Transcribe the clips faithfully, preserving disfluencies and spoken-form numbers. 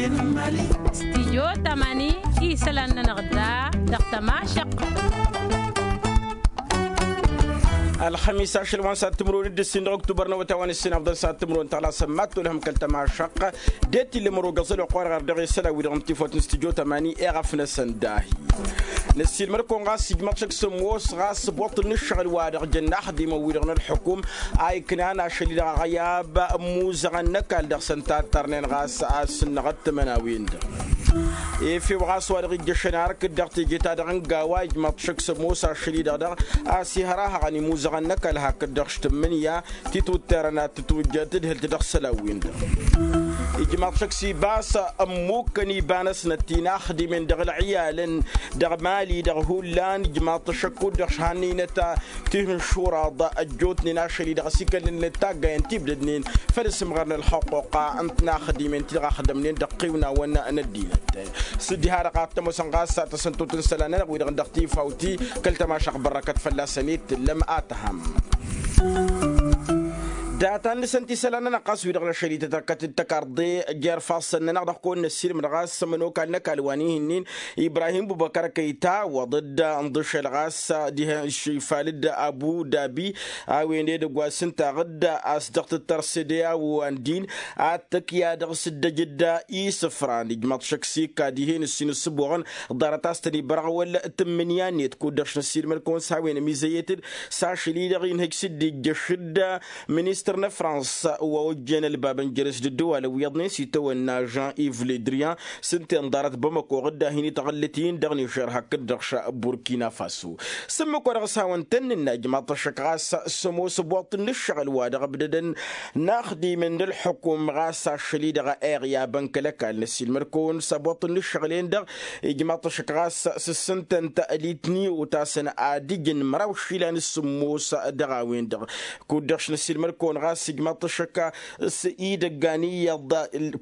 Stijyo tamani isălan-nănăɣ da dăɣ-tămašăqq. Ălxămis ašăl wa n-sat timǝrwen d-ǝssin dăɣ-oktubăr n-awătay wa n-ǝssin afḍăn sat timǝrwen tăɣlasăn mad-tolhăm kăl-tămašăqq. Dd-tillăm ăro găẓăl oqq wa dăɣ-dăɣ isălan wi-dăɣ n-tifawt n-stijyo tamani eɣăf-năsăn dahi. Năssiilmăd-kăwăn ɣas ijmaḍ šăkk s-ămoos ɣas ăbbuṭṭǝl n-ǝššăɣǝl-wa-dăɣ jănna axdimăn-wi-dăɣ n-ălxukum a iknan ašăl-i-dăɣ aɣăyab n-imuzăɣăn n-ăkall dăɣ-săn tattărnen ɣas a ăssǝnnăɣăt timănawen-dăɣ. Efew ɣas wa dăɣ-ijjăšăn ark-dd dăɣ-teje-ta-dăɣ n-gawa ijmaḍ šăkk s-ămoos ašăl-i-dăɣ dăɣ-a-s ihăr ahăɣăn imuzăɣăn n-ăkall hakd-dăɣ š-tǝmmǝnǝya titwǝtterăn ad-tǝtwǝjjăd tǝdhǝlt dăɣ-isălan-win-dăɣ. Ijmaḍ šăkk s-ibas ămmukkăn iba-năsnăt ti n-axdimen dăɣ-ălɣiyalăn dăɣ-mali dăɣ-hullan ijmaḍ-t šăkk kud-dăɣ šhannăynăt tihǝnšuraḍ ăjjootnen ašăl-i-dăɣ ăsikălnen taggayăn tibdădnen făll-asǝmɣăr n-ălxăqquqa n-tinaxdimen ti dăɣ-axdămnen dăɣ-tiwǝnawăn n-ăddinăt. S-dd-iha-dăɣ ad-t-ămoosăn ɣas ad-tăsăn totǝnsălan-nănăɣ-wi-dăɣ dăɣ-tifawt-i kăl-tămašăɣt bărrăkăt fălla-săn i-tǝllăm ad-tăhăm. Data n-dăɣ-săn tisălan-nănăɣ ɣas wi-dăɣ n-ašăl-i tăt-tăkkat d-tăkarḍe jer-ifassăn-nănăɣ dăɣ-kăwăn-năssiilmăd ɣas ămănokal n-ăkall wa n-ihǝnnin ibrahim bubăkăr kăyta-wăḍ-dd ǝnḍǝšăl ɣas dihen šifal-dd abu dabi a-wen edăgg wa s-ǝntaɣ-dd a-s dăɣ-tǝttăr sede a-wa n-din ad-tăkya dăɣ-s dd-ăj-dd isǝfran ijmăḍ šăkk s-ikka dihen ǝssin ǝssǝboɣăn ḍarăt a-s tăn-ibărăɣ wăla tǝmmǝnǝya-net kud-dăɣ š-năssiilmăd-kăwăn s-a-wen ămizăyyăt-dd s-ašăl-i-dăɣ inhăj s-dd-ijjăš-dd ministăr n-afrans wa ojjen ălbabăn jere-s d-ǝddǝwalăn wi iyyăḍnen s-itawănna jean iv ledrian s-ǝnta inḍarăt bamăko ɣǝdda hin-itɣǝllǝt-in dăɣ-nižer hakd-dăɣ š-burkina faso. S-ǝmmǝk wa dăɣ-s hawăn-tăn-nǝnna ijmaḍ-t ăššăk ɣas s-ămoos ăboṭṭǝl n-ǝššăɣǝl wa dăɣ-ǝbdădăn n-axdimăn d-ălxukum ɣas ašăl-i-dăɣ a iɣyabăn kăl-ăkall năssiilmăd-kăwăn s-ăboṭṭǝl n-ǝššăɣǝl-en-dăɣ ijmaḍ-t ăššăk ɣas s-ǝssǝntăn talitni otasăn ad-ǝjǝn măraw išilan s-sǝmmos dăɣ-a-wen-dăɣ. Kud-dăɣ š-năssiilmăd-kăwăn ɣas ijmaḍ-t ăššăk s-idăggan iyyăḍ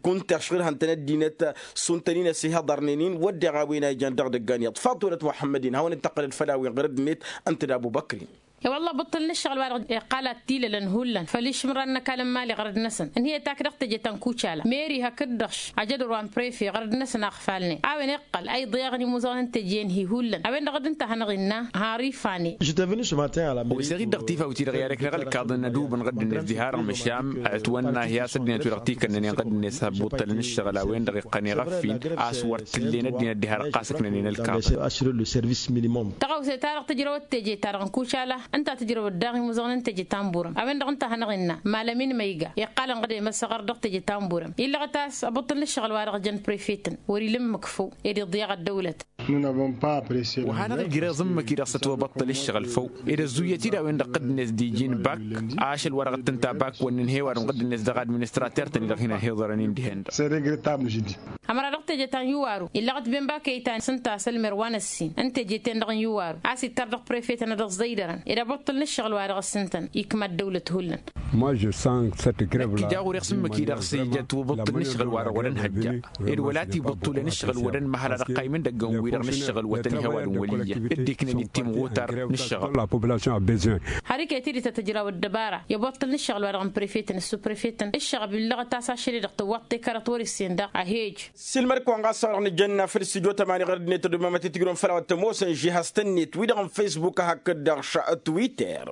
kunta ăšɣǝlhăn-tăn ăddinăt s-untăn-in ăsihăḍărnen-in wădden a-wen a ijan dăɣ-idăggan iyyăḍ faḍulăt muḥămmăd-in hawăn-dd-tăqqălăd făll-a-wen ɣur-ăddinăt. Ǝnta d-abubăkri. E-wălla băṭṭăl n-ǝššăɣǝl wa-dăɣ iqqal ad-t-ilălăn hullan făll-išǝmran n-ăkall n-imali ɣărăd-năsăn ǝnhǝyăt akdăɣ teje ta n-kucala meri hakd-dăɣ š-ajădăr wa n-prefe ɣărăd-năsăn a ăɣfalnen a-wen iqqăl a iḍeɣăn imuzăɣăn n-teje-en-hi hullan a-wen-dăɣ dd-ǝnta a hanăɣ-innă. Har ifane. Wăseɣ-dd dăɣ-tifawt-i-dăɣ i-ad-ăkneɣ ălkaḍăn ădubǝn ɣǝdd-net diha-dăɣ măšan ătwănna hi-a-s ăddinăt-wi-dăɣ tikănnănen ɣǝdd-net ăbbuṭṭălăn ǝššăɣǝl a-wen-dăɣ iqqăn iɣăf-in a-s wăr t-tǝllen ăddinăt diha-dăɣ ɣas ǝknănen ălkaḍăn. Tăɣawse-ta-dăɣ tǝjrăwăt teje-ta-dăɣ n-kucala ǝnta tǝjrăwăt daɣ imuzăɣăn n-teje ta n-burăm a-wen-dăɣ ǝnta a hanăɣ-innă. Malămin măyga iqqalăn ɣǝd i-măsăɣăr dăɣ-teje ta n-burăm illăɣăt a-s ăbbuṭṭăl n-ǝššăɣǝl wa dăɣ-jăn prefetăn wăr-ila ǝmmǝk făw ed iḍyaɣ ăddăwlăt. Wa hanăɣ-ǝjreẓ ǝmmǝk-i-dăɣ s-ătwăbăṭṭăl ǝššăɣǝl făw ed ăzzuyăt-dd a-wen-dăɣ ɣǝddǝnet d-iji n-bak ašăl wa dăɣ-t ǝnta bak wăr nǝnhăy ăwadǝm ɣǝddǝnet dăɣ-administrater-tăn-i-dăɣ hin-ăhiḍărăn-in dihen-dăɣ. Ămăra dăɣ-teje ta n-iwaru illăɣăt ben bak ăytan s-ǝnta a-s ălmer wa n-ăssin n-teje-ten-dăɣ n-iwaru a-s ittar dăɣ-prefetăn ad-ăẓẓăydărăn ed abăṭṭăl n-ǝššăɣǝl wa dăɣ-s ǝntăn ikma ăddăwlăt hullan. Năkk ija ɣur-e s-ǝmmǝk-i-dăɣ s-ija ătwăbăṭṭăl n-ǝššăɣǝl wa dăɣ-wăr-ănhăjja ed wăla tibǝṭṭulen ǝššăɣǝl-wădăn măhăl ad-ăqqaymǝn dăgg-ewăn-wi-dăɣ n-ǝššăɣǝl-wătăn ihăwadǝm wăl' iyyăn dd-iknăn-dd timɣutar n-ǝššăɣǝl. Har iket-dd-i ta tǝjrawăt dăbara i-ăboṭṭăl n-ǝššăɣǝl wa dăɣ-n prefetăn s-suprefetăn ǝššăɣǝb illăɣăt a-s ašăl-i-dăɣ tǝwwaḍ tekarăt wăr-issen daɣ a hej. Silmăd-kăwăn ɣas a-wa dăɣ-nǝjănna făll-studyo tămani ɣărăd-net ădumămăt i-tǝjrǝwăn făll-a-wa t-ămoosăn žihăs tănnet wi-dăɣ n-facebook hakd-dăɣ š-twitter.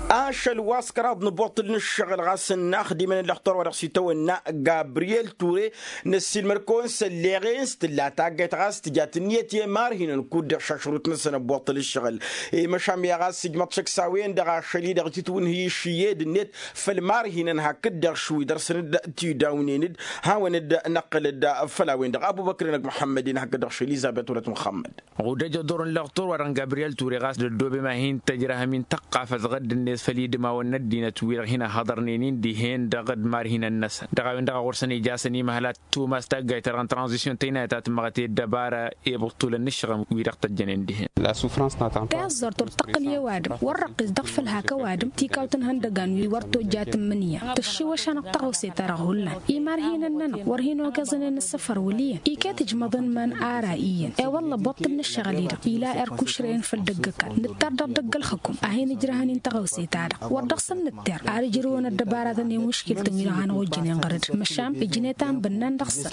Ašăl wa s-kăraḍ n-ăboṭṭăl n-ǝššăɣǝl ɣas ănnaxdimăn ăllăxtor wa dăɣ-s itawănna gabriyel ture. Năssiilmăd-kăwăn s-ălleɣen s-tǝlla taggayt ɣas tǝja tǝnniyăt i-imarhinăn kud-dăɣ šašrut-năsăn ăbboṭṭăl ǝššăɣǝl i-măšan mi-a ɣas ǝjmăḍ šăkk s-a-wen-dăɣ ašăl-i-dăɣ titwǝnhǝy išǝyyed-net făll-imarhinăn hakd-dăɣ š-wi dăr-săn dd-tidawnen-dd. Hawăn-dd-năqqǝl-dd făll-a-wen-dăɣ abubăkr-năk muḥămmăd-in hakd-dăɣ š-elizăbet wălăt muxămmăd. Ɣudăj ăḍḍor n-lăɣtur wa dăɣ-n gabriyel ture ɣas d-ăddoobem a hin-tăjrăhăm-in tăqqafăt ɣǝdd-net făll-idmawen n-ăddinăt-wi-dăɣ hin-ăhhăḍărnen-in dihen dăɣ-imarhinăn-năsăn dăɣ-a-wen-dăɣ a ɣur-săn ija a-s ănimăhăl ad-tumas taggayt-ta-dăɣ n-tranzisyon tăynayăt a tǝmmăɣăt i-ăddăbara i-ibǝṭṭulăn n-ǝššăɣǝm-wi-dăɣ tăjjănen dihen. Tăẓẓart ur tăqqǝl i-ăwadǝm wăr răqqis dăɣ-făl hak ăwadǝm tikawt n-ihăndăgan wi wăr tojja tǝmmǝnǝya tăššiwăš-anăɣ tăɣawse-ta-dăɣ hullan imarhinăn-nănăɣ wăr hin-ogăẓnen ǝssăfăr wăl' iyyăn iket ǝjmăḍăn iman ara iyyăn. I-wălla ăbboṭṭăl n-ǝššăɣǝl-i-dăɣ ila erk ušrăyăn făll-dăgg-ăkall nǝttar dăɣ-dăgg-ălxǝkum a hin-ǝjrăhăn-in tăɣawse-ta-dăɣ. Wăr dăɣ-săn nǝtter ad-ǝjrǝwăn ăddăbaratăn i-muškiltăn-wi-dăɣ hanăɣ-ojjănen ɣăr-dd măšan ǝjnet a n-bǝnnan dăɣ-săn.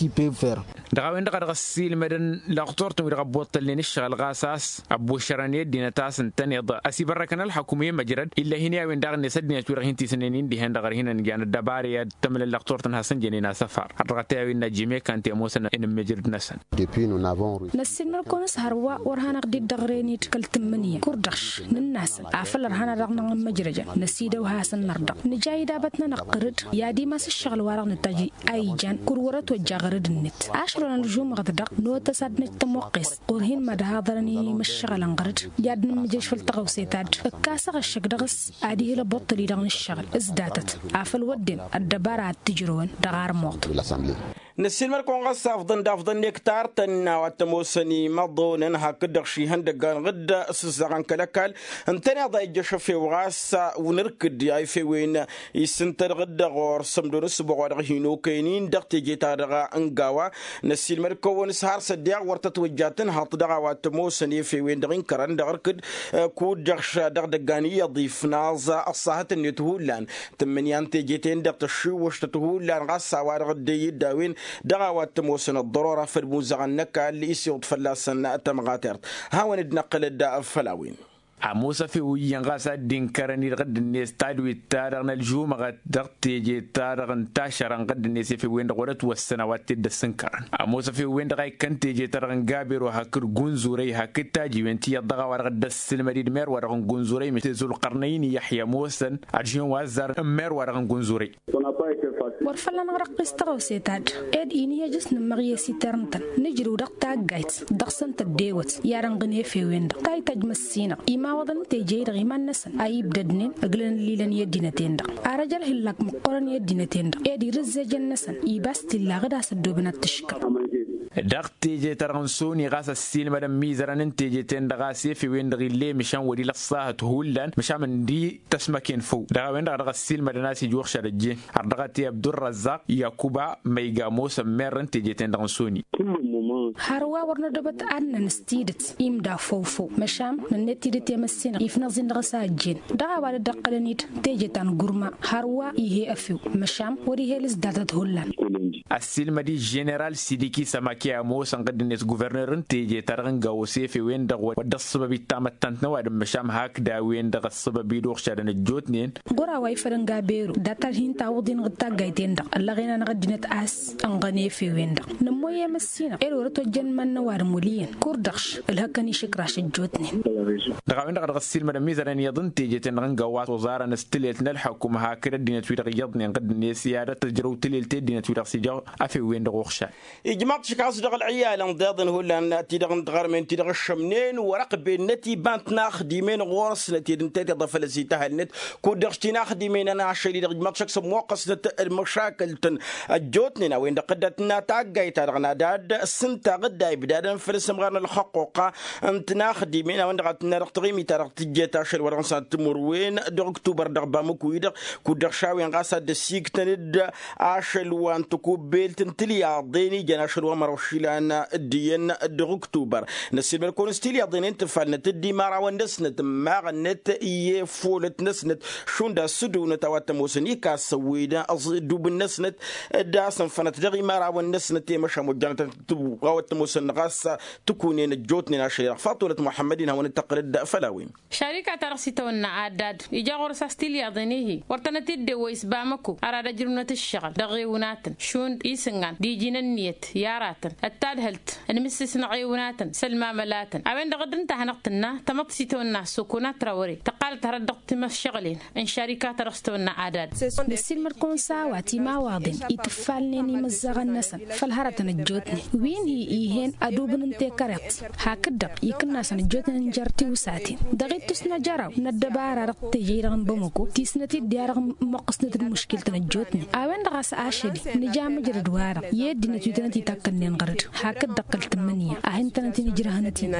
Dăɣ-a-wen-dăɣ a dăɣ-ăssiilmădăn lăxturtăn-wi-dăɣ ăbbuṭṭălnen ǝššăɣǝl ɣas a-s ăbbušărăn i-ăddinăt a-s ǝntăneḍ ăsibărrăkăn ălxăkum i-măjrăd. Illa hin-i a-wen daɣ-net ăddinăt-wi-dăɣ hin-tisǝnnen-in dihen dăɣ-ărhinăn ǝnjan ăddăbara i-ad-tămlăl lăxturtăn hasăn-jănen asăfar har dăɣ-t i-a-wen n-ajjǝm i-kante ămoosăn inǝmmǝjrăd-năsăn. Năssiilmăd-kăwăn s-hărwa wăr hanăɣ-dd-ăɣren-dd kăl-tǝmmǝnǝya kur-dăɣ š-nǝnn'-asăn afăl ărhan a dăɣ-nămmǝjrăjăn năsidăw hasăn-năr-dăɣ nǝja idabăt-nănăɣ ɣăr-dd. I-ad-imas ǝššăɣǝl-wa-dăɣ nǝtajj a ijan kur wăr-ătwăjja ɣăr-dd-net ašăl wa n-ălžumăɣăt-dăɣ n-otăs ad-năj tămoqqes ɣur-hin-mad-haḍărăn i-imǝššăɣălăn ɣăr-dd. I-ad-nǝmmǝjrăj făll-tăɣawse ta dd-ǝkkasăɣ ăššăk dăɣ-s ad-ihǝl ăbuṭṭăl-i-dăɣ n-ǝššăɣǝl s-datăt afăl wădden ăddăbara ad-t-ǝjrăwăn dăɣ-armuḍ. Năssiilmăd-kăwăn ɣas afḍăn d-afḍăn n-ektar-tăn a-wa t-ămoosăn imăḍonăn hakd-dăɣ šihăndăggan ɣǝdd s-ǝzzaɣăn kăl-ăkall ǝntăneḍ a ijjăš efew ɣas wǝnǝrkǝd a efewen isǝntăd ɣǝdd ɣur-sămdo n-ǝssǝboɣ wa dăɣ-hin-okăyăn-in dăɣ-teje-ta-dăɣ n-gawa. Năssiilmăd-kăwăn s-har s-ăddeɣ wăr tătwăjja tǝnhăḍt dăɣ-a-wa t-ămoosăn efewen-dăɣ inkărăn dăɣ-irkǝd kud-dăɣ š-dăɣ-dăggan iyyăḍ ifnaẓ ăṣṣahăt-net hullan. Tǝmmǝnǝya n-teje-ten-dăɣ tăššiwwăštăt hullan ɣas a-wa-dăɣ dd-e-dd a-wen dăɣ-a-wa t-ămoosăn ăḍḍărora făll-imuzăɣăn n-ăkall isiwǝḍ fălla-săn tămɣatert. Hawăn-dd-năqqǝlăd făll-a-wen. Ămoos efew iyyăn ɣas a dd-inkărăn-dd ɣǝdd-net tadwit-ta-dăɣ n-ălžumăɣăt dăɣ-teje-ta-dăɣ n-tašăra n-ɣǝdd-net efew-wen-dăɣ wăr-ătwăssăn a-wa t-dd-ăssǝnkărăn. Ămoos efew-wen-dăɣ a ikkăn teje-ta-dăɣ n-gabero hakd gunzurăy hakd tajiwen tiyyăḍ dăɣ-a-wa-dăɣ dd-ăssǝlmăd-dd mer-wa-dăɣ n-gunzurăy mete zulqărnăy n-iyyăḥya ămoosăn ad-žen wa ăzzarăn n-mer-wa-dăɣ n-gunzurăy. Wăr făl-anăɣ răqqis tăɣawse ta dd-ed-in i-ejăs nǝmmăɣ i-esiter-ǝntăn nǝjrǝw dăɣ-taggayt dăɣ-săn tăddewăt i-ad-ănɣǝn efewen-dăɣ ta ităjj măssinăɣ imawăḍăn n-teje-i-dăɣ iman-năsăn a ibdădnen ǝglăn ǝllilăn i-ăddinăt-en-dăɣ. Arăj ălhǝllak măqqoorăn i-ăddinăt-en-dăɣ ed irǝzzejăn-năsăn ibas t-illa ɣǝd a-s ăddooben ad-t-ǝškǝl. Dăɣ-teje-ta-dăɣ n-soni ɣas ăssiilmădăn imizărăn n-teje-ten-dăɣ a-s efewen-dăɣ ill'-e măšan wăr-ila ăṣṣahăt hullan măšan ǝndi tăsmăken făw dăɣ-a-wen-dăɣ a dăɣ-ăssiilmădăn a-s ija uɣšad ăjjeen har dăɣ-t i-abdurrazzaq yakuba ma iga ămoosăn merr n-teje-ten-dăɣ n-soni. Hărwa wăr nădobăt ad-năn s-tidǝt imda făw-făw măšan nănnet tidǝt i-măssinăɣ ifnăẓ-in dăɣ-s a ăjjeen dăɣ-a-wa dd-ăqqălăn-dd teje ta n-gurma hărwa ih'-e efew măšan wăr-ih'-e ǝlǝs datăt hullan. Ăssiilmăd-i ženeral sidiki sămake ămoosăn ɣǝdd-net guvernăr n-teje-ta-dăɣ n-gawo s-efewen-dăɣ wăr dd-ăṣṣăbăb ittamăttant n-ăwadǝm măšan hakd a-wen-dăɣ ăṣṣăbăb-dd uɣšadăn ăjjootnen. Ɣur-a-wa ifăl n-gaberu dat-ad-hin-tawǝḍ-in ɣǝd taggayt-en-dăɣ ăllăɣen-anăɣ ăddinăt a-s ănɣăn efewen-dăɣ nămmoy i-măssinăɣ ed wăr-ătwăjjăn iman n-ăwadǝm wăl' iyyăn kur-dăɣ š-ǝlhăkkăn išǝkraš ăjjootnen. Dăɣ-a-wen-dăɣ a dăɣ-ăssiilmădăn imizărăn iyyăḍ n-teje-ten-dăɣ n-gawa s-oẓarăn s-tǝlelt n-ălḥăkum hakd ăddinăt-wi-dăɣ iyyăḍnen ɣǝddǝnet i-ad-tǝjrăw tǝlelt i-ăddinăt-wi-dăɣ s-ija afew-wen-dăɣ uɣšan. Ijmaḍ-t šik a-s dăɣ-ălɣiyalăn ḍeḍăn hullan ti-dăɣ n-tiɣărmen ti-dăɣ ǝššămnen wăr-ăqbennăt iba n-tinaxdimen ɣur-snăt ed ǝnta i-tiḍa făll-ăsităhălnăt kud-dăɣ tinaxdimen-nănăɣ ašăl-i-dăɣ ijmaḍ-t šik s-ămmoqqăsnăt d-măšakăl-tăn ăjjootnen a-wen-dăɣ tădda tǝnna taggayt-ta-dăɣ n-ad-ad-sǝntaɣ dd-a ibdadăn făll-asǝmɣar n-ălxăqquqa n-tinaxdimen a-wen-dăɣ a tǝnna dăɣ-taɣimit-ta-dăɣ tǝjjet ašăl wa dăɣ-nǝsnăt timǝrwen dăɣ-ǝktubăr dăɣ-bamǝku-i-dăɣ kud-dăɣ šawen ɣas ad-dd-ăsiiktăn-dd ašăl wa n-tăkubbelt n-tilyaḍen ijăn ašăl wa măraw išilan d-iyyăn dăɣ-ǝktubăr. Năssiilmăd-kăwăn s-tilyaḍen-en tǝfalnăt-dd imărawăn-năsnăt ǝmmaɣănnet i-efulăt-năsnăt šund a-s ǝdǝwnăt a-wa t-ămoosăn ikasăwwen ăẓ-idubǝn-năsnăt d-asǝnfănăt dăɣ-imărawăn-năsnăt i-măšan wa ojjanăt a-wa t-ămoosăn ɣas tǝkunen ăjjootnen ašăl-i-dăɣ faṭulăt muḥămmăd-in hawăn-dd-tăqqǝlăd făll-a-wen. Šarika-ta-dăɣ s-itawănna addad ija ɣur-s a-s tilyaḍen-i-hi wăr tănăt-dd-ewwăy s-bamăko ar ad-ăjrǝwnăt ǝššăɣǝl dăɣ-ɣewǝnatăn šund isǝngan d-iji n-ǝnniyăt i-aratăn ăttadhǝlt n-imǝssǝsnăɣ ɣewǝnatăn s-ălmamălatăn. A-wen-dăɣ dd-ǝnta a hanăɣ-tǝnna tamăḍt s-itawănna sokona trawăre tăqqalăt hărăt dăɣ-timăššăɣǝlen n-šarika-ta-dăɣ s-tawănna addad. Năssiilmăd-kăwăn s-a-wa timawăḍen itǝffalnen imǝzzăɣăn-năsăn făll-hărătăn ăjjootnen wi n-hi-ihen ădubǝn n-tekăreḍt hakd-dăɣ ikǝnnasăn ăjjootnen n-jer-tiwsaten dăɣ-ittus n-ajăraw n-ăddăbara dăɣ-teje-i-dăɣ n-bamăko tisnăt-dd i-ad-dăɣ-măqqǝsnăt d-muškil-tăn ăjjootnen. A-wen-dăɣ a-s ašăl-i nǝja mǝjrăd-wa-dăɣ i-ăddinăt wi tănăt-itakkănnen. Hakd-dăɣ kăl-tǝmmǝnǝya a hin-tănăt-in ǝjrăhăn ăttin.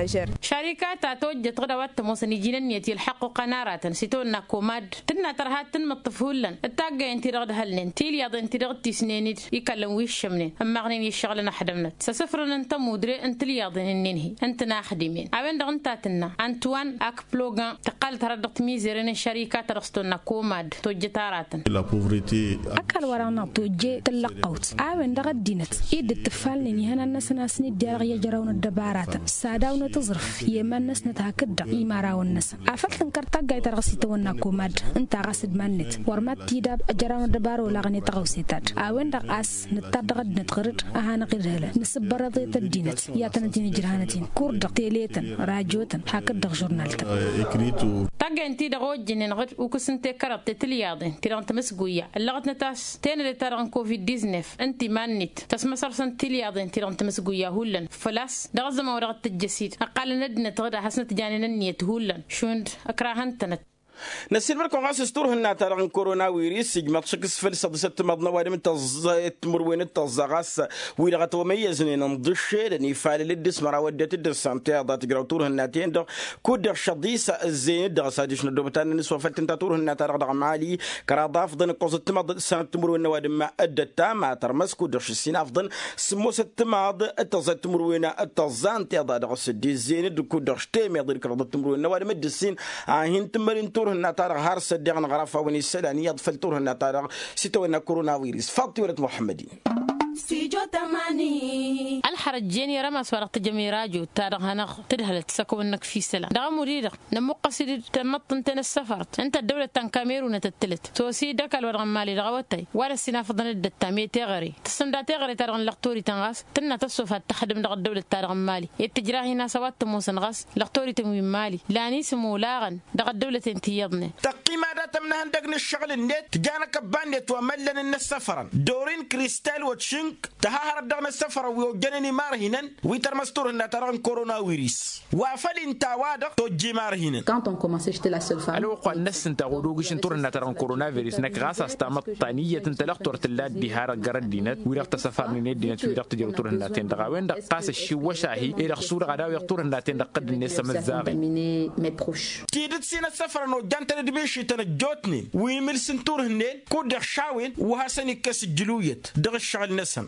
Šarikata tojjăt ɣǝd a-wa t-ămoosăn iji n-ǝnniyăt i-ălḥăqq uqan aratăn s-itawănna komad tǝnna tărha tǝnmǝṭṭǝf hullan d-taggayăn-ti-dăɣ d-hălnen tilyaḍen-ti-dăɣ d-tisnen-dd ikallăn wi ǝššămnen ǝmmaɣnen i-ǝššăɣǝlăn ăḥdămnăt s-asǝfrǝn n-tămudre n-tilyaḍen ǝnnin-hi n-tǝnaxdimen a-wen-dăɣ ǝnta tǝnna ăntwan akplogan tăqqalăt hărăt dăɣ-timizeren n-šarikata dăɣ-s tonna komad tojjăt aratăn. Ăkall-wa-dăɣ-năɣ tojje tǝllăqqăwt a-wen-dăɣ ăddinăt i-dd dd-ǝffalnen ihănan-năsăn a-s nǝddi-a-dăɣ i-ăjraw n-ăddăbaratăn s-ad-awnăt aẓrǝf i-iman-năsnăt hakd-dăɣ imărawăn-năsăn afăl tǝnkăr taggayt-ta-dăɣ s-itawănna komad ǝnta ɣas d-iman-net wăr mad-t-idab ăjraw n-ăddăbara olaɣăn i-tăɣawse-ta-dd a-wen-dăɣ a-s nǝttar dăɣ-ăddinăt ɣăr-dd a hanăɣ-idhǝlăn nǝsǝbbărăḍ i-tăddinăt i-ad-tănăt-in-ǝjrăhăn ăttin kur-dăɣ teletăn rajotăn hakd-dăɣ žurnaltăn. Taggayăn-ti-dăɣ ojjǝnen ɣǝd ukǝs n-tekăraḍt i-tilyaḍen ti-dăɣ n-timǝsguyya ǝllăɣătnăt a-s tenăde-ta-dăɣ n-covid-diznef ǝnta iman-net tăsmăsărsăn tilyaḍen ti-dăɣ n-timǝsguyya hullan făl-a-s dăɣ-ăzzăman wa dăɣ-t-tǝjjăsit ǝqqalăn ăddinăt ɣǝd ad-hasnăt-janen ǝnniyăt hullan šund ǝkrahăn-tănăt. Năssiilmăd-kăwăn ɣas s-turhǝnna-ta-dăɣ n-korona-wiris ijmăḍ šik s-făl săḍisăt timaḍ n-ăwadǝm n-tăẓẓa i-timǝrwen d-tăẓẓa ɣas wi-dăɣ ătwămăyyăznen ǝnḍǝššelăn ifalăl d-ismăraw ăddinăt d-ǝssan tiyaḍa tǝjraw turhǝnna-ten-dăɣ kud-dăɣ šăḍisa ǝzzeyăn-dd dăɣ-s adiš n-ăddoobăt ad-nǝnǝswăfăl tǝnta turhǝnna-ta-dăɣ dăɣ-mali kăraḍ afḍăn ǝkkoẓăt timaḍ d-ǝssanăt timǝrwen n-ăwadǝm d-ăttam a tărmăs kud-dăɣ šǝssin afḍăn sǝmmosăt timaḍ d-tăẓẓa timǝrwen d-tăẓẓa ǝnta iḍa dăɣ-s dd-izzeyăn-dd kud-dăɣ š-temeḍe d-kăraḍăt timǝrwen n-ăwadǝm d-ǝssin a hin-tǝmmări n-turhǝnna-ta-dăɣ har s-ăddeɣ n-ɣăraf a-wen isălan iyyăḍ făll-turhǝnna-ta-dăɣ s-itawănna korona-wiris faḍ tiwălăt muḥămmăd-in. Ălxărăt jen i-rămas wa dăɣ-tǝjăm i-rajo ta dăɣ-hanăɣ-tǝdhălăt s-ăkăwăn-năkf isălan dăɣ-ămud-i-dăɣ nămmuqqăs-dd tamăḍt ǝnta i-năssăfărăt ǝnta ăddăwlăt ta n-kamerun a tăttălăt tosi d-ăkall wa dăɣ-n mali dăɣ-awătay wa dăɣ-s inafăḍăn dd-ăttam i-teɣăre tǝssǝmda teɣăre ta dăɣ-n lăxtorităn ɣas tǝnna tăssofat tăxdǝm dăɣ-ăddăwlăt ta dăɣ-n mali i-tǝjrahin a-s a-wa t-ămoosăn ɣas lăxtorităn wi n-mali lan isǝm olaɣăn dăɣ-ăddăwlăten ti iyyăḍnen. Tăqqima dat-ămnăhăn dăgg-inǝššăɣǝl-net tǝja n-akăbba-net wa măllăn n-inăssăfărăn dorin kristal wa t-šǝnk tăha hărăt dăɣ-inăssăfărăn wi ojjănen imarhinăn wi tărmăs turhǝnna-ta-dăɣ n-korona-wiris wa făl inta a-wa-dăɣ tojja imarhinăn. Ălwăqq wa n-năssǝntaɣ odogǝš n-turhǝnna-ta-dăɣ n-korona-viris năkk ɣas a-s tamăḍt ta n-iyyăt n-talăxtor tǝlla ăddihar ăggăr ăddinăt wi-dăɣ tăsăfarnen i-ăddinăt wi-dăɣ tǝjrăw turhǝnna-ten-dăɣ a-wen-dăɣ ɣas ăššiwwăš-ahi ed ăxsuulăɣ ad-awǝyăɣ turhǝnna-ten-dăɣ ɣǝdd-net s-amǝzzaɣen. Tidǝt s-inăssăfărăn ojjan-tăn d-mišităn ăjjootnen wi imǝls n-turhǝnnen kud-dăɣ šawen wa hasăn-ikkăs ǝjjǝluyăt dăɣ-ǝššăɣǝl-năsăn.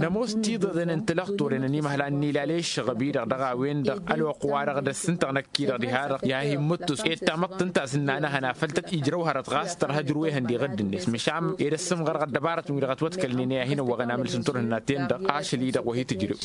Nămoos tiḍeḍen n-tilăxtoren ănimăhlan n-ilale ǝššăɣăb-i-dăɣ dăɣ-a-wen-dăɣ ălwăqq-wa-dăɣ d-ăssintăɣ năkk-i-dăɣ diha-dăɣ i-ad-hin-mǝttus ed tamăḍt ǝnta a-s ǝnnanăhăn afăl tăt-ijrăw hărăt ɣas tărha ǝjrăwehăn di ɣǝdd-net măšan ed ăssǝmɣărăɣ ăddăbarătăn wi-dăɣ ătwăḍkălnen i-ad-hin-ăwwăɣăn amǝls n-turhǝnna-ten-dăɣ ašăl-i-dăɣ wa hi-tǝjrǝw.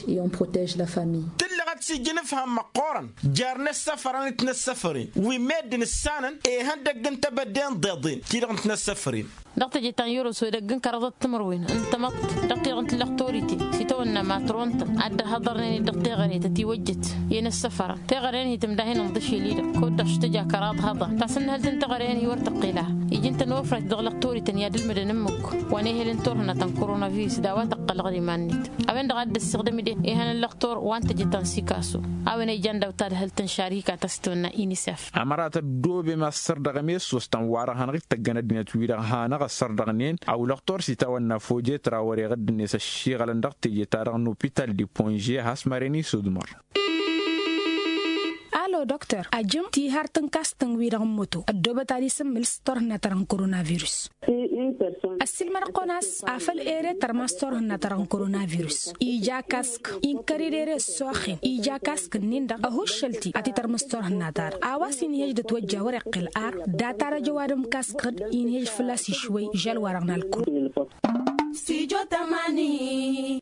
Tǝllăɣăt s-ija inǝfham măqqoorăn jer-inăssăfărăn d-tinăssăfăren wi meddǝn ǝssanăn ihăndăgg n-tebădde n-iḍeḍen ti-dăɣ n-tinăssăfăren. Dăɣ-teje ta n-yăros edăgg n-kăraḍăt timǝrwen n-tamăḍt dăɣ-ti-dăɣ n-tǝllăɣ torităn s-itawănna matron-tăn ad-dd-hăḍărnen-dd dăɣ-teɣăre ta tiwăjjăt i-inăssăfărăn teɣăre-nǝhi tǝmdahen ǝnḍǝšel-i-dăɣ kud-dăɣ š-tǝja kăraḍ hăḍăn tasǝnnǝhǝlt n-teɣăre-nǝhi wăr tăqqel a ija ǝnta n-ofrayt dăɣ-lăɣ torităn i-ad-ǝlmǝdăn ǝmmǝk wa n-ehel n-turhǝnna ta n-korona-virus d-a-wa tăqqălăɣ d-iman-net. A-wen-dăɣ a dd-ăssiɣdăm-dd ehăn n-lăxtor wa n-teje ta n-sikaso a-wen a ijan daw-tadhǝlt n-šarika ta s-tăwănna inisef. Ămărat ăddoobem a ăssărdăɣăm i-ăssoos ta n-wa-dăɣ hanăɣ-ittăggăn ăddinăt-wi-dăɣ hanăɣ-ăssărdăɣnen a ulăxtor s-itawănna fojet ra wăr-iɣǝdd-net ăššiɣălăn dăɣ-teje-ta-dăɣ n-opital di ponže a has-măren isudmăr. Alo dăktor ajǝm tihar tǝnkastăn-wi-dăɣ n-moto ăddoobăt ad-isǝmmǝl s-turhǝnna-ta-dăɣ n-korona virus. Ăssiilmăd-kăwăn a-s afăl ere tărmas turhǝnna-ta-dăɣ n-korona-virus ija kask inkăr-dd ere ăssoxen ija kask-nin-dăɣ ăhuššăl-t-i ad-t-tărmǝs turhǝnna-ta-dăɣ a-wa s-inhej d-ătwăjja wăr-iqqǝl ar data-dăɣ jăwadăm kask-dd inhej fălla-s išwăy žăl-wa-dăɣ n-alkul. Stijo tamani.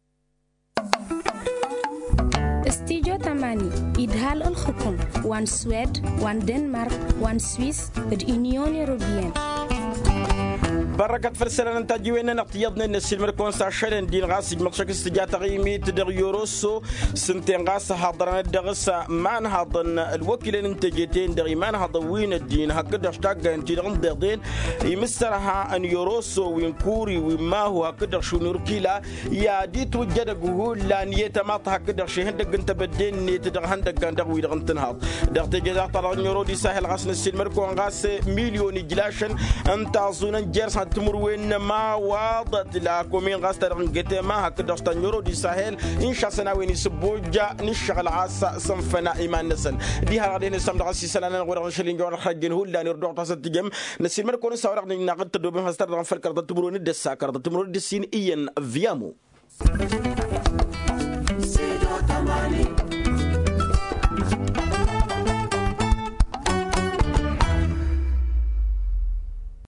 Stijo tamani idhal ǝlxǝkum wa n-swed wa n-denmark wa n-swis d-inyon europeyăn. Bărrăkăt făll-isălan n-tajǝwen-nănăɣ tiyyăḍnen n-ăssiilmăd-kăwăn s-ašălăn din ɣas ijmăḍ šăkk s-tǝja taɣimit dăɣ-yoroso s-ǝnta-en ɣas ăhaḍărăn-dd dăɣ-s imanhaḍăn ălwăkilăn n-teje-ten-dăɣ imanhaḍăn wi n-ăddin hakd-dăɣ š-taggayăn-ti-dăɣ n-iḍeḍen imǝssărha n-yoroso wi n-kuri wi n-mahu hakd-dăɣ šunurkila i-ad-itwǝjj edăgg hullan i-tamaḍt hakd-dăɣ šihăndăgg n-tebădde-net dăɣ-ihăndăggan dăɣ-wi-dăɣ n-tǝnhaḍ dăɣ-teje-ta-dăɣ n-yoro d-isahǝl ɣas n-ăssiilmăd-kăwăn ɣas milyon ijlašăn n-taẓun n-jer-s. Timǝrwen n-ămawaḍăt la komin ɣas ta dăɣ-n gătema hakd dăɣ-s ta n-yoro di sahel. Inša săn a-wen isǝbboja n-ǝššăɣǝl ɣas săn făna iman-năsăn. Diha dăɣ-dăɣ-hen isam dăɣ-s isălan-nănăɣ wa dăɣ-n šăl injăwăr ălxăjjăn hullan irduɣ tasăt tijăm. Năsiilmăd-kăwăn s-a-wa dăɣ-năjnăɣ d-tăddobem has-ta dăɣ-n făl kărăḍăt timǝrwen d-ăssa kărăḍăt timǝrwen d-ǝssin iyyăn. Viyamo.